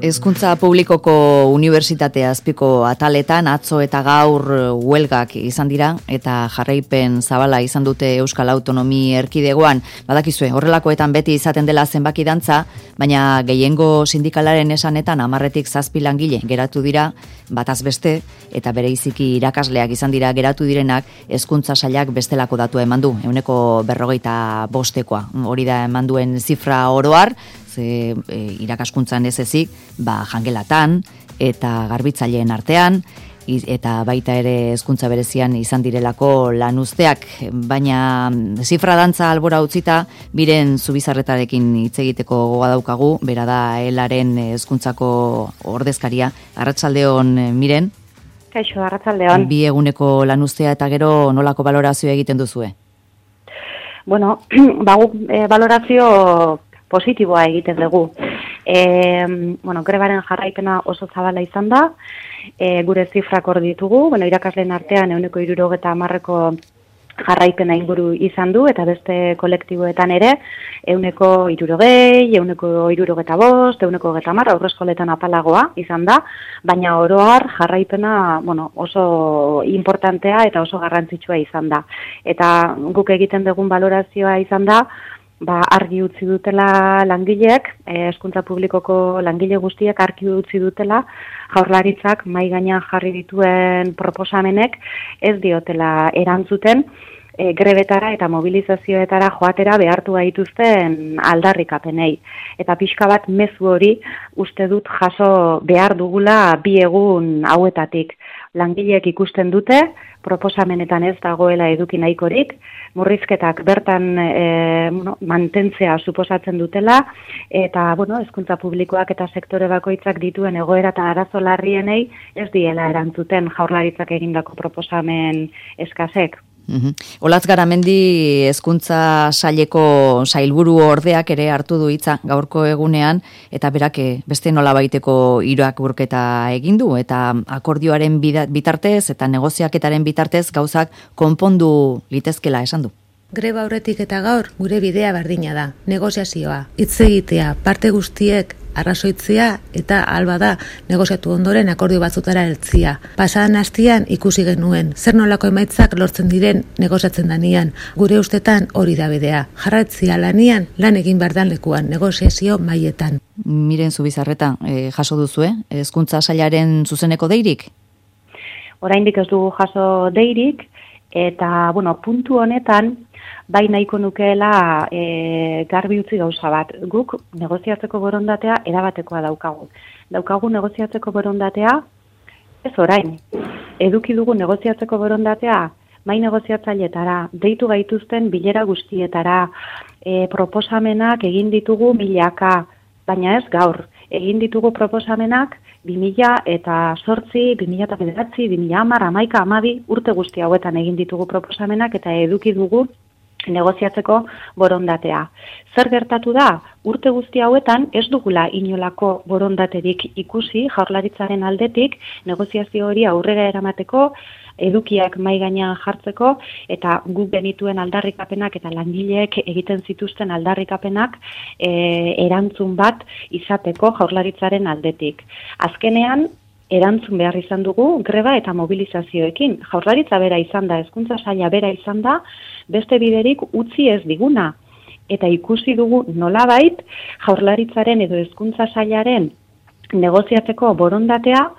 Hezkuntza publikoko unibertsitatea azpiko ataletan atzo eta gaur huelgak izan dira eta jarraipen zabala izan dute Euskal Autonomi Erkidegoan. Badakizue, horrelakoetan beti izaten dela zenbaki dantza, baina gehiengo sindikalaren esanetan 10tik 7 langile geratu dira, bataz beste, eta bereiziki irakasleak izan dira geratu direnak, hezkuntza sailak bestelako datua eman du, 145koa. Hori da eman duen zifra oroar, irakaskuntzan ez ezik, jangelatan eta garbitzaileen artean, eta baita ere hezkuntza berezian izan direlako lanuzteak, baina zifra dantza albora utzita, Miren Zubizarretarekin hitz egiteko gogoa daukagu, bera da ELaren hezkuntzako ordezkaria. Arratsaldeon, Miren. Kaixo, arratsaldeon. 2 eguneko lanuztea eta gero nolako balorazioa egiten duzue? Bueno, balorazio positiboa egiten dugu. Grebaren jarraipena oso zabala izan da, gure zifrak hor ditugu, irakasleen artean 170ko jarraipena inguru izan du, eta beste kolektiboetan ere, 160, 165, 130, aurreskoletan apalagoa izan da, baina oroar jarraipena oso importantea eta oso garrantzitsua izan da. Eta guk egiten dugun balorazioa izan da, argi utzi dutela langileek, hezkuntza publikoko langile guztiek argi utzi dutela, Jaurlaritzak mahai gainean jarri dituen proposamenek ez diotela erantzuten grebetara eta mobilizazioetara joatera behartu gaituzten aldarrikapenei. Eta pixka bat mezu hori uste dut jaso behar dugula 2 egun hauetatik. Langileek ikusten dute, proposamenetan ez dagoela eduki nahikorik, murrizketak bertan mantentzea suposatzen dutela, eta hezkuntza publikoak eta sektore bakoitzak dituen egoera eta arazo larrienei ez diela erantzuten Jaurlaritzak egindako proposamen eskasek. Olatz Garamendi hezkuntza saileko sailburu ordeak ere hartu du hitza gaurko egunean, eta berak beste nolabaiteko irakurketa egin du, eta akordioaren bitartez eta negoziaketaren bitartez gauzak konpondu litezkela esan du. Greba aurretik eta gaur gure bidea berdina da, negoziazioa, hitz egitea, parte guztiek arrazoitzea eta alba da negoziatu ondoren akordio batzutara heltzia. Pasadan astean ikusi genuen, zer nolako emaitzak lortzen diren negoziatzen danean. Gure ustetan hori da bidea. Jarraitzea lanian, lan egin behar dan lekuan, negoziazio mailetan. Miren Zubizarreta, jaso duzue, hezkuntza sailaren zuzeneko deirik? Oraindik ez dugu jaso deirik, eta puntu honetan, bai nahiko nukeela garbi utzi gauza bat. Guk negoziatzeko borondatea erabatekoa daukagu. Daukagu negoziatzeko borondatea ez orain. Eduki dugu negoziatzeko borondatea mai negoziatzailetara, deitu gaituzten bilera guztietara, proposamenak egin ditugu milaka, baina ez gaur. Egin ditugu proposamenak 2008, 2009, 2010, 11, 12 urte guzti hauetan egin ditugu proposamenak eta eduki dugu negoziatzeko borondatea. Zer gertatu da? Urte guzti hauetan ez dugula inolako borondaterik ikusi Jaurlaritzaren aldetik negoziazio hori aurrera eramateko, edukiak mahai gainean jartzeko eta guk genituen aldarrikapenak eta langileek egiten zituzten aldarrikapenak erantzun bat izateko Jaurlaritzaren aldetik. Azkenean, erantzun behar izan dugu greba eta mobilizazioekin. Jaurlaritza bera izan da, hezkuntza saila bera izan da, beste biderik utzi ez diguna. Eta ikusi dugu nolabait Jaurlaritzaren edo hezkuntza sailaren negoziatzeko borondatea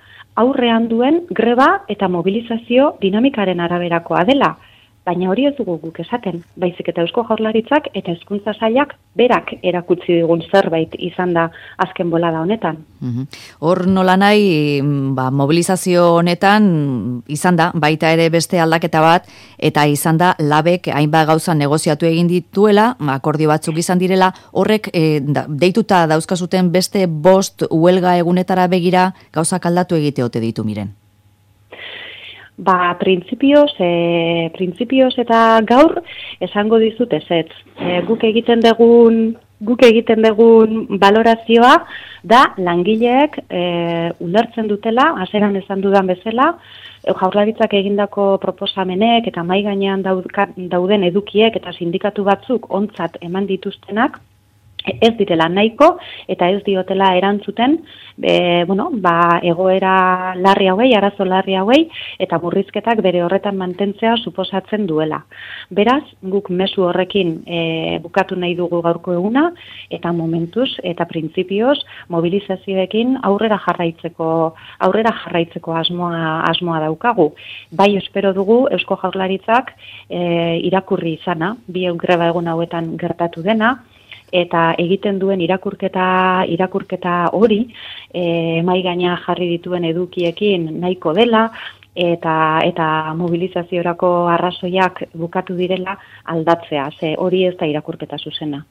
aurrean duen greba eta mobilizazio dinamikaren araberakoa dela. Baina hori ez dugu guk esaten, baizik eta Eusko Jaurlaritzak eta hezkuntza sailak berak erakutsi digun zerbait izan da azken bolada honetan. Hor nolanahi mobilizazio honetan izan da, baita ere beste aldaketa bat, eta izan da labek hainbat gauza negoziatu egin dituela, akordio batzuk izan direla, horrek deituta dauzkazuten beste 5 huelga egunetara begira gauzak aldatu egite ote ditu Miren. Printzipioz eta gaur esango dizut ezetz. Guk egiten dugun balorazioa da langileek ulertzen dutela, hasieran esan dudan bezala, Jaurlaritzak egindako proposamenek eta mahai gainean dauden edukiek eta sindikatu batzuk ontzat eman dituztenak ez direla nahiko eta ez diotela erantzuten egoera larri hauei, arazo larri hauei eta murrizketak bere horretan mantentzea suposatzen duela. Beraz, guk mezu horrekin bukatu nahi dugu gaurko eguna eta momentuz eta printzipioz mobilizazioekin aurrera jarraitzeko asmoa daukagu. Bai, espero dugu Eusko Jaurlaritzak irakurri izana, bi greba egun hauetan gertatu dena, eta egiten duen irakurketa hori mahai gaina jarri dituen edukiekin nahiko dela eta mobilizaziorako arrazoiak bukatu direla aldatzea, ze hori ez da irakurketa zuzena.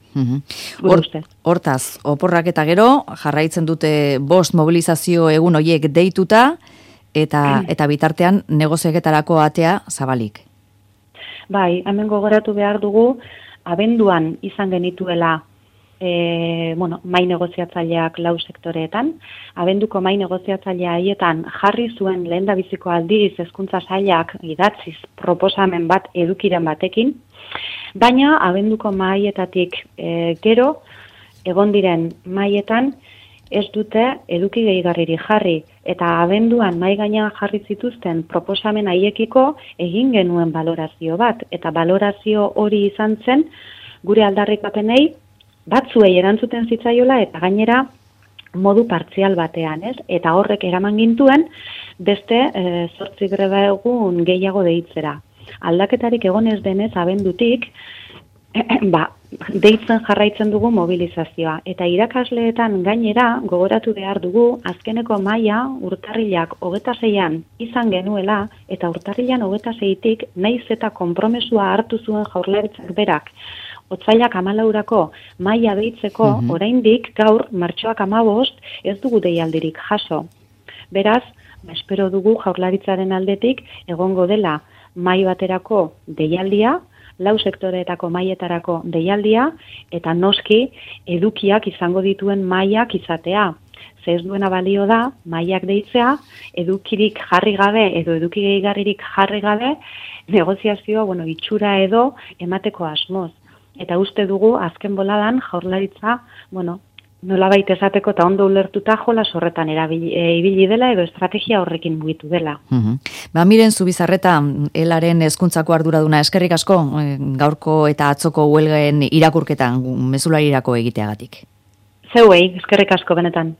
Hortaz, oporrak eta gero jarraitzen dute 5 mobilizazio egun horiek deituta eta bitartean negozioetarako atea zabalik. Bai, hemen gogoratu behar dugu abenduan izan genituela mai negoziatzaileak 4 sektoreetan, abenduko mai negoziatzailea haietan jarri zuen lehendabiziko aldiz hezkuntza sailak idatziz proposamen bat edukiren batekin, baina abenduko maietatik gero egon diren maietan ez dute eduki gehigarririk jarri eta abenduan mahai gainean jarri zituzten proposamen haiekiko egin genuen balorazio bat eta balorazio hori izan zen gure aldarrikapenei batzuei erantzuten zitzaiola eta gainera modu partzial batean, ez? Eta horrek eraman gintuen beste 8 greba egun gehiago deitzera. Aldaketarik egon ez denez abendutik deitzen jarraitzen dugu mobilizazioa. Eta irakasleetan gainera gogoratu behar dugu azkeneko maila urtarrilak 26an izan genuela eta urtarrilan 26tik naiz eta konpromesua hartu zuen Jaurlaritzak berak. Otsailak 14rako maila deitzeko oraindik gaur martxoak 15 ez dugu deialdirik jaso. Beraz, espero dugu Jaurlaritzaren aldetik egongo dela mai baterako deialdia, 4 sektoreetako maietarako deialdia eta noski edukiak izango dituen mailak izatea. Ze ez duena balio da mailak deitzea, edukirik jarri gabe edo eduki gehigarririk jarri gabe negoziazioa itxura edo emateko asmoz. Eta uste dugu azken boladan Jaurlaritza, nolabait esateko eta ondo ulertuta jolas horretan ibili dela edo estrategia horrekin mugitu dela. Miren Zubizarreta, elaren hezkuntzako arduraduna, eskerrik asko gaurko eta atzoko huelgaen irakurketan mezularirako egiteagatik. Zeuei, eskerrik asko benetan.